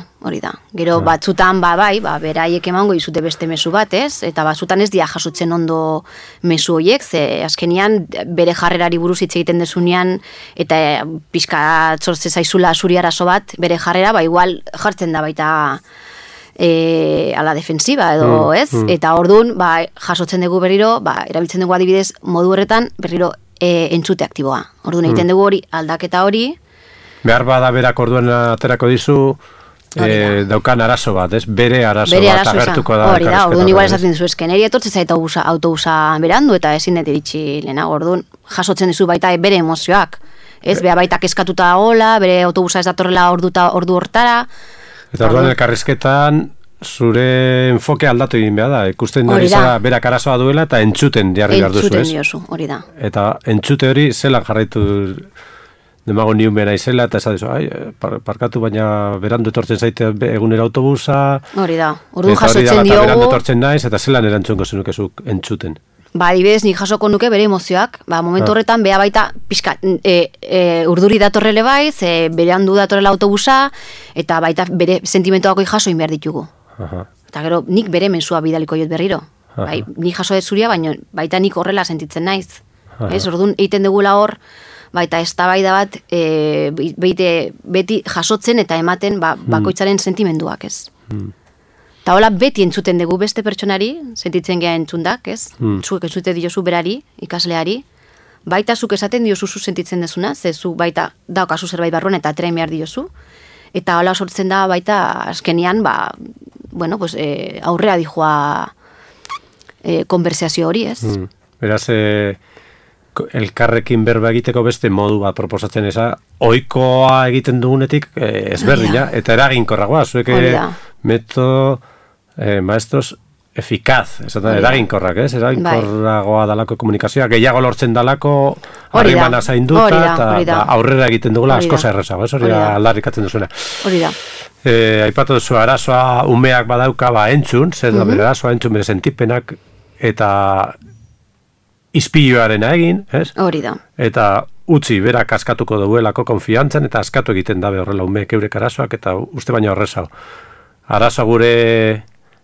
Gero batzutan beraiek emango izute beste mezu bat, ez? Eta batzutan ez dia jasotzen ondo mezu horiek, ze azkenian bere jarrerari buruz hitz egiten dezunean eta pixka sortze zaizula zuri arazo bat, bere jarrera igual jartzen da baita a la defensiva edo, ez? Eta orduan, jasotzen dugu berriro, erabiltzen dugu adibidez modu horretan berriro entzute aktiboa. Orduan egiten dugu hori, aldaketa hori. Behar bada berak orduan aterako dizu daukan arazo bat, ez? Bere arazo bat agertuko da. Hori da, orduan igual esaten dizu eskeneri etortzen zaita autobusa berandu eta ezin dut iritsi lehenago, orduan jasotzen dizu baita bere emozioak. Ez, beha baita kezkatuta dagoela, bere autobusa ez datorrela ordu hortara. Eta orduan elkarrizketan zure enfoke aldatu egin behar da, ikusten hori zara berak arazoa duela eta entzuten jarri behar duzu, ez? Entzuten diozu, hori da. Eta entzute hori zelan jarraitu demago niun behar izela, eta ez da parkatu baina berandu etortzen zaite egunera autobusa. Hori da, orduan jasotzen diogu. Berandu etortzen naiz, eta zelan erantzungo zenukezuk entzuten. Adibidez, nik jasoko nuke bere emozioak, momentu horretan beha baita pixka, urduri datorrele bai, berandu datorrela autobusa, eta baita bere sentimentuako jaso behar ditugu. Eta gero, nik bere mensua bidaliko jot berriro. Nik jaso ez zuria, baina baita nik horrela sentitzen naiz. ez? Orduan, egiten dugula hor, baita eztabaida bat beti jasotzen eta ematen bakoitzaren sentimenduak, ez? Eta hola beti entzuten dugu beste pertsonari, sentitzen geha entzundak, ez? Zuek entzute diozu berari, ikasleari, baita zuk esaten diozu zu sentitzen dezuna, ze zu baita daukazu zerbait barruan eta aterain behar diozu, eta hola sortzen da baita azkenian, aurrea dijoa konversazio hori, ez? Beraz, elkarrekin berba egiteko beste modu bat proposatzen eza, ohikoa egiten dugunetik ezberdina, eta eraginkorragoa, zuek metodo maestros efikaz, eraginkorrak, ez? Eraginkorragoa dalako komunikazioa, gehiago lortzen dalako harrimana zainduta, eta aurrera egiten dugula askoza errezago, ez? Hori da aldarrikatzen duzuna. Hori da. Aipatu duzu, arazoa umeak badauka entzun, zer da bere arazoa entzun bere sentipenak, eta izpiloarena egin, ez? Hori da. Eta utzi berak askatuko duelako konfiantzan, eta askatu egiten dabe horrela umeek eurek arazoak, eta uste baina horrezago. Arazoa gure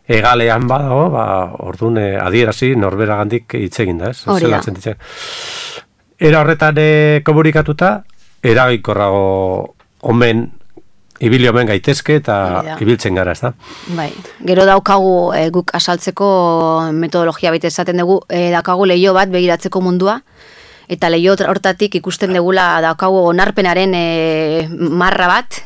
egalean badago, orduan adierazi norberagandik hitz egin da, ez? Hori da. Era horretan komunikatuta, eraginkorrago omen, ibili omen gaitezke eta ibiltzen gara, ez da? Bai, gero daukagu guk asaltzeko metodologia baita esaten dugu, daukagu leio bat begiratzeko mundua, eta leio hortatik ikusten degula daukagu onarpenaren marra bat,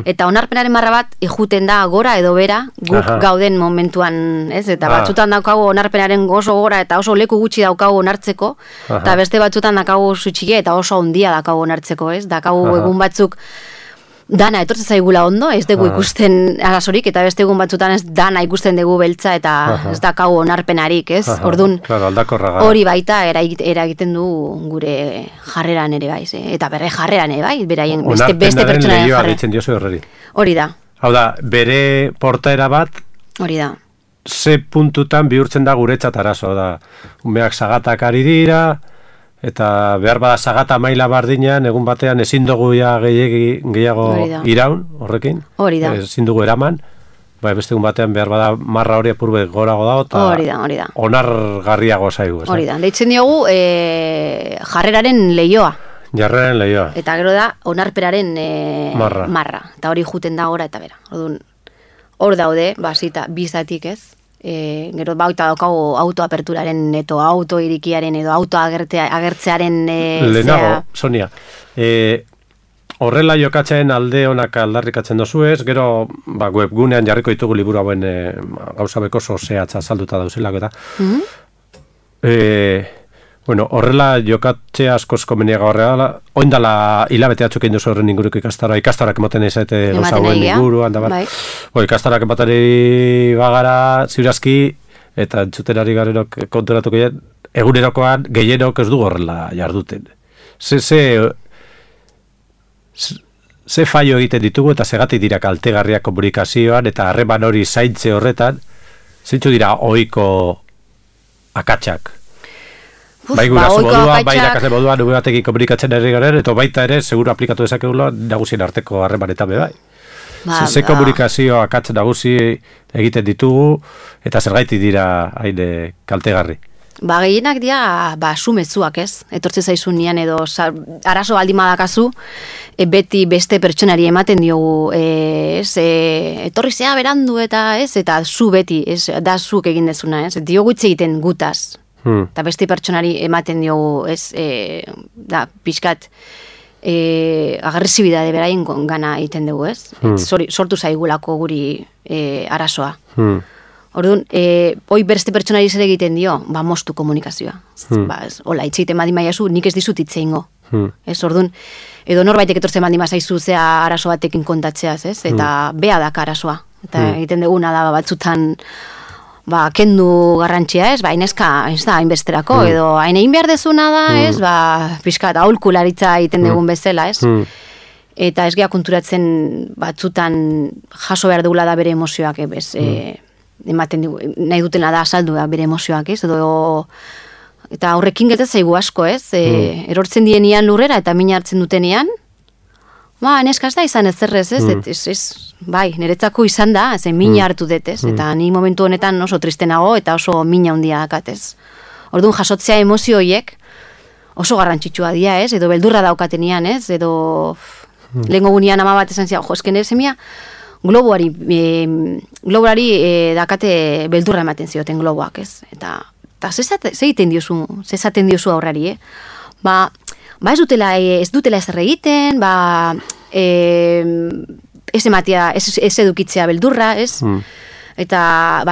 eta onarpenaren marra bat ijuten da gora edo bera guk gauden momentuan, ez? Eta batzutan daukagu onarpenaren oso gora eta oso leku gutxi daukagu onartzeko, eta beste batzutan daukagu zutxile eta oso handia daukagu onartzeko, ez? Daukagu egun batzuk dana etortzen zaigula ondo, ez dugu ikusten arazorik, eta beste egun batzutan ez dana ikusten dugu beltza, eta ez daukagu onarpenarik, ez? Orduan, hori baita eragiten du gure jarreran ere bai, eta bere jarreran ere bai, beraien beste pertsonaren jarreran. Hori da. Hau da, bere portaera bat, hori da. Ze puntutan bihurtzen da guretzat arazo, da, umeak zagatak ari dira, eta behar bada sagata maila bardinean, egun batean ezin dugu gehiago iraun, horrekin. Hori da. Ezin dugu eraman, beste egun batean behar bada marra hori apurbe gorago dago, eta onargarriago zaigu. Hori da, deitzen diogu jarreraren leioa. Jarreraren leioa. Eta gero da, onarperaren marra. Eta hori juten da gora eta bera. Hor daude, bizatik ez. Gero baita daukagu autoaperturaren edo autoirikiaren edo autoagertzearen lehenago, Sonia, horrela jokatzen alde honak aldarrikatzen dozu ez, gero webgunean jarriko ditugu liburu hauen gauza beko zehatza salduta dauzelako eta horrela jokatzea askoz komeniago horrela, oindala hilabete atzuk egin duzu horren inguruko ikastarak emoten ezate gauza hauen inguruan, ikastarak ematari bagara ziurazki, eta entzuterari garenok konturatuko egin, egunerokoan gehienok ez du horrela jarduten. Ze faio egiten ditugu eta segatik dira kaltegarriak komunikazioan eta harreman hori zaintze horretan, zeintzu dira ohiko akatsak? Bai guraso moduan, bai irakasle moduan, nube batekin komunikatzen herri garen, eta baita ere, seguru aplikatu dezakegula nagusien arteko harremanetan be bai. Ze komunikazio akatz nagusi egiten ditugu, eta zergaitik dira hain kaltegarri. Gehienak dira, sumetzuak ez, etortze zaizun nian edo arazo baldin badakazu, beti beste pertsonari ematen diogu, etorri zea berandu eta ez, eta zu beti, da zuk egin dezuna, ez, diogu hitz egiten gutaz. Eta beste pertsonari ematen diogu, da, pixkat, agresibidade beraien gana egiten dugu, ez? Sortu zaigulako guri arazoa. Orduan, hoi beste pertsonari zer egiten dio, moztu komunikazioa. Hola, hitz egiten badin baiazu, nik ez dizut hitz egingo. Orduan, edo norbaitek etortzen badin bazaizu zea arazo batekin kontatzeaz, ez? Eta bea daka arazoa. Eta egiten duguna da batzutan, kendu garrantzia, ez? Hainezka, ez da, hainbesterako, edo hain egin behar dezuna da, ez? Pixkat, aholkularitza egiten dugun bezala, ez? Eta ez geha konturatzen batzutan jaso behar dugula da bere emozioak, ematen dugu, nahi dutena da azaldu bere emozioak, ez? Eta horrekin geltatzen zaigu asko, ez? Erortzen dienian lurrera eta mina hartzen dutenean, neska ez da izan ez zerrez, ez? Bai, niretzako izan da, mina hartu dut, ez? Eta ni momentu honetan oso tristenago eta oso mina handia dakat, ez? Orduan jasotzea emozio horiek, oso garrantzitsua dira, ez? Edo beldurra daukatenean, ez? Edo lehengo gunean ama bat esan zian, esken nire semia globuari dakate beldurra ematen zioten globoak, ez? Eta zeiten diozu aurrari, Ba ez dutela ezer egiten, ez edukitzea beldurra, ez? Eta,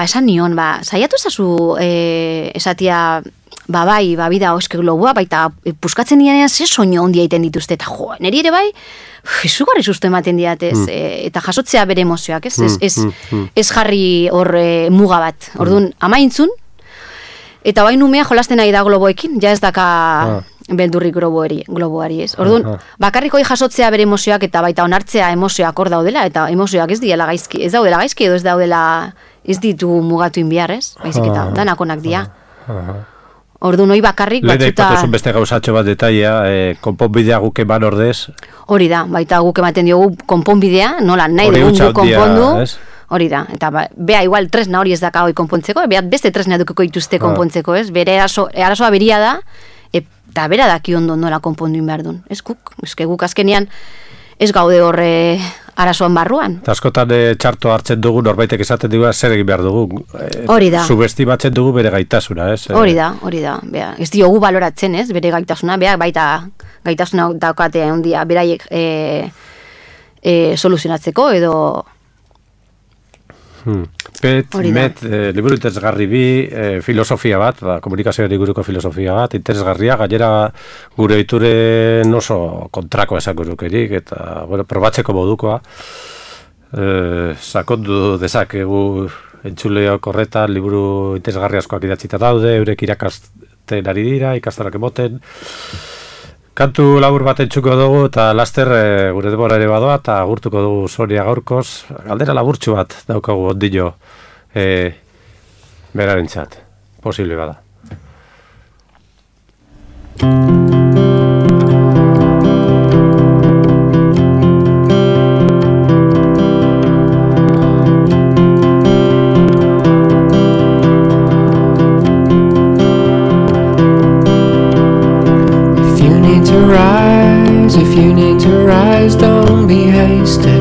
esan nion, saiatu ezazu esatia, bida oske globua, baita puskatzen dianean ze soño ondia egiten dituzte, eta niri ere izugarri susto ematen diatez, eta jasotzea bere emozioak, ez jarri hor muga bat. Orduan, amaintzun, eta bain umea jolasten nahi da globoekin, ja ez daka beldurrik globoari, ez. Orduan, bakarrik hori jasotzea bere emozioak, eta baita onartzea emozioak hor daudela, eta emozioak ez daudela gaizki, edo ez ditugu mugatu inbiar, ez? Baizik eta danakonak dia. Orduan, hori bakarrik batzuta... Lehen ipatuzun beste gauzatxo bat detaia, konponbidea guk eman ordez. Hori da, baita guk ematen diogu konponbidea, nola nahi dugun guk konpondu. Hori da, eta bea igual tresna hori ez daka hori konpontzeko, bea beste tresna edukiko dituzte konpontzeko, ez? Bere arazoa beria da, eta bera daki ondo nola konponduin behar duen. Ez guk azkenean ez gaude horre arazoan barruan. Eta askotan txarto hartzen dugu, norbaitek esaten dugu, zer egin behar dugu. Hori da. Subestimatzen dugu bere gaitasuna, ez? Hori da. Bea, ez diogu baloratzen, ez? Bere gaitasuna, bea baita gaitasuna daukate ondia beraiek soluzionatzeko edo... Liburu interesgarri bi, filosofia bat, komunikazioari guruko filosofia bat, interesgarria, gainera gure ituren oso kontrako esan gurukerik, eta, probatzeko modukoa, sakondu dezakegu entzuleok horretan, liburu interesgarri askoak idatzita daude, eurek irakasten ari dira, ikastarak emoten, kantu labur bat entzuko dugu, eta laster gure denbora ere badoa, eta agurtuko dugu Sonia gaurkoz. Galdera laburtxu bat daukagu ondino berarentzat. Posible bada. If you need to rise, don't be hasty.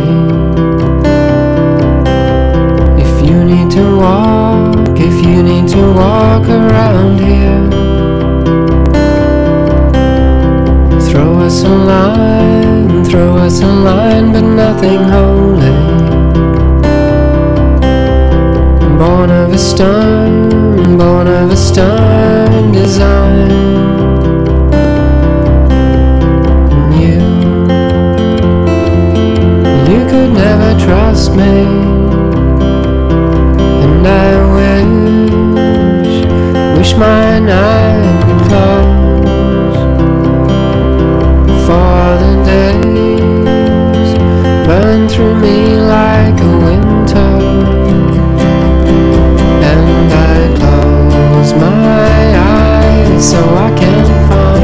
If you need to walk around here, throw us a line, but nothing holy. Born of a stern design. You could never trust me, and I wish my night would close, for the days burn through me like a winter, and I close my eyes so I can find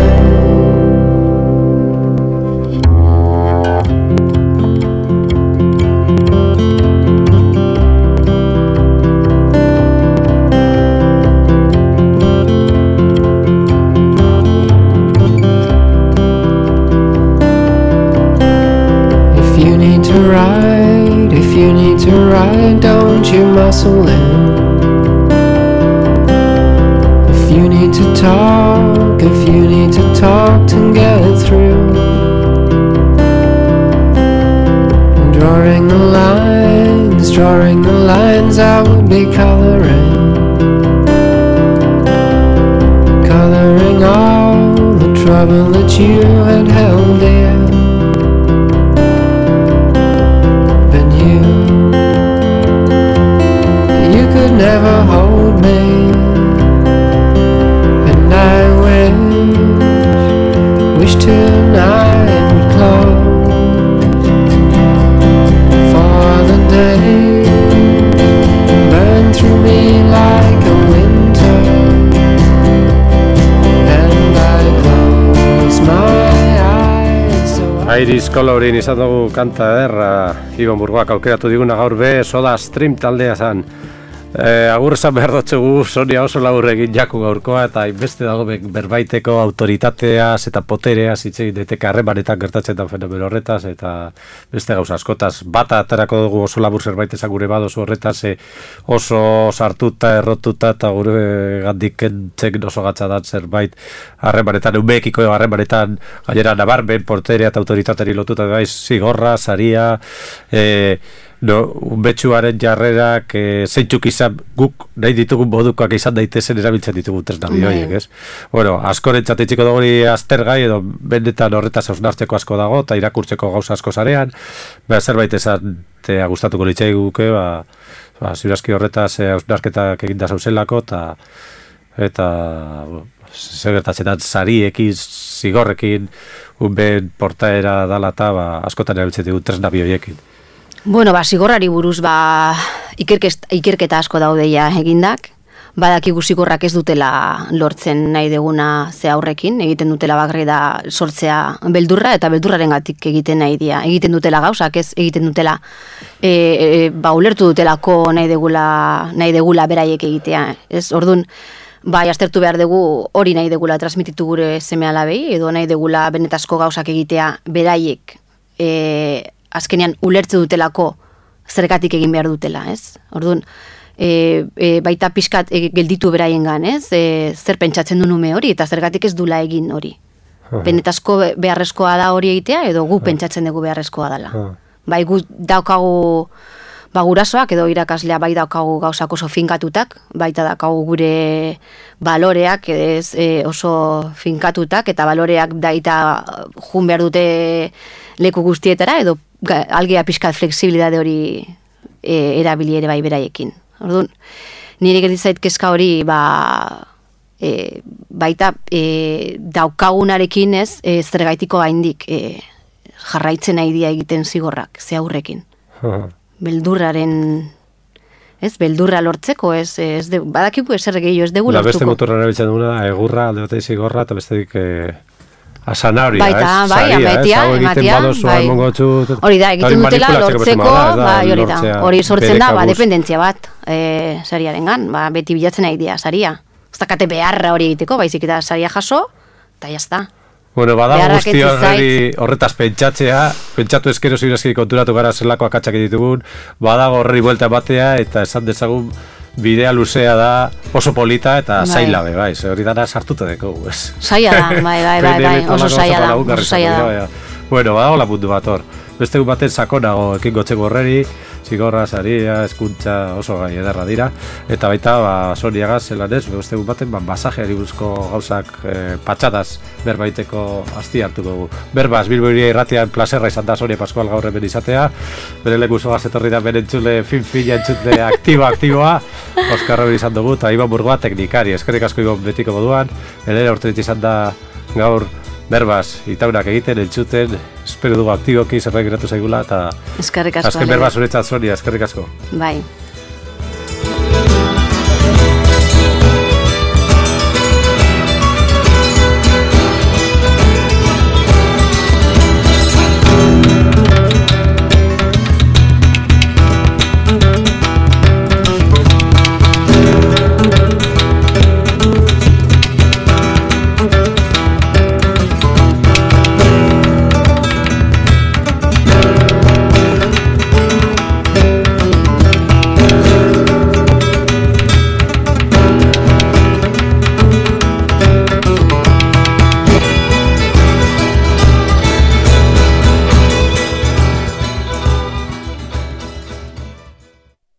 don't you muscle in. If you need to talk to get through, drawing the lines I would be coloring all the trouble that you had held dear. Never hold me, and I wish tonight would close, for the day burn through me like a winter, and I close my eyes so Iris Colorin izan dugu kanta Iban Burgoak aukeratu diguna gaur be Soda Stream taldea zan. Agur esan behar dutxugu, Sonia oso labur egin jaku gaurkoa, eta inbeste dago berbaiteko autoritateaz eta potereaz hitz egin daiteke harremanetan gertatzen da fenomeno horretaz, eta beste gauza askotaz. Bata aterako dugu oso labur zerbait esan gure badozu horretaz, oso sartuta, errotuta, eta gure gandik kentzen oso gatzadan zerbait harremanetan, umeekiko harremanetan gainera nabarmen, poterea eta autoritateri lotuta, zigorra, saria, betxuaren jarrerak zeintzuk izan guk nahi ditugun modukoak izan daitezen erabiltzen ditugun tresna bidioiek, ez? Bueno, askorentzat itxiko dugu aztergai edo benetan horretaz hausnartzeko asko dago eta irakurtzeko gauza asko zarean, zerbait esatea gustatuko litzai guke, ziurazki horretaz hausnarketak eginda zauzelako eta zer gertatzen sariekin, zigorrekin, unben portaera dala eta askotan erabiltzen ditugun tresna bidioiekin. Bueno, zigorrari buruz, ikerketa asko daudeia egindak. Badakigu zigorrak ez dutela lortzen nahi deguna ze aurrekin, egiten dutela bakarri da sortzea beldurra, eta beldurrarengatik egiten nahi dira. Egiten dutela gauzak, ez egiten dutela, ulertu dutelako nahi degula beraiek egitea. Ez, orduan, aztertu behar dugu hori nahi degula transmititu gure seme-alabei, edo nahi degula benetazko gauzak egitea beraiek azkenean ulertze dutelako zergatik egin behar dutela, ez? Orduan, baita pixkat gelditu beraiengan, ez? Zer pentsatzen du nume hori eta zergatik ez dula egin hori. Benetazko beharrezkoa da hori egitea edo gu pentsatzen dugu beharrezkoa dela. Bai gu daukagu gurasoak edo irakaslea bai daukagu gauzak oso finkatutak, baita daukagu gure baloreak oso finkatutak eta baloreak daita jun behar dute leku guztietara edo algea pixkat fleksibilidade hori erabili ere bai beraiekin. Orduan, nire gertzait kezka hori baita daukagunarekin ez zergaitiko gaindik jarraitzen nahi dia egiten zigorrak, ze aurrekin. Beldurra lortzeko, badakiku ezer gehiago ez dugu lortuko. Beste motorra erabiltzen duguna, egurra, alde batei zigorra, eta bestedik asanaria, baita, ematia, hori da, egiten dutela lortzeko, hori sortzen da, dependentzia bat sariarengan, beti bilatzen nahi dira saria. Ez dakate beharra hori egiteko, baizik eta saria jaso, eta jazta. Bueno, badago guzti horretaz pentsatu eskero ziurazki konturatu gara zelako akatsak ditugun, badago horri buelta batea eta esan dezagun bidea luzea da oso polita eta zaila bai, hori dara sartuta deko. Zaila da, bai, oso zaila da. Bueno, badago lapundu bat hor. Beste baten sakonago ekin gotzeko horreri, zigorra, saria, eskuntza oso gai ederra dira. Eta baita, Soniagaz, zelan ez, beste baten masajeari buruzko gauzak patxadaz berbaiteko asti hartuko dugu. Berbaz, Bilbo Hiria irratian plazerra izan da Sonia Pascual gaur hemen izatea. Bere leku zogaz etorri da bere entzule fin-fina entzule aktiboa. Oskar hori izan dugu, eta Iban Burgoa teknikari. Eskerrik asko Iban betiko moduan. Elena urterit izan da gaur Berbaz, itaunak egiten, entzuten, espero dugu aktiboki zerbait geratu zaigula, eta eskerrik asko. Azken Berbaz uretzat Sonia, eskerrik asko. Bai.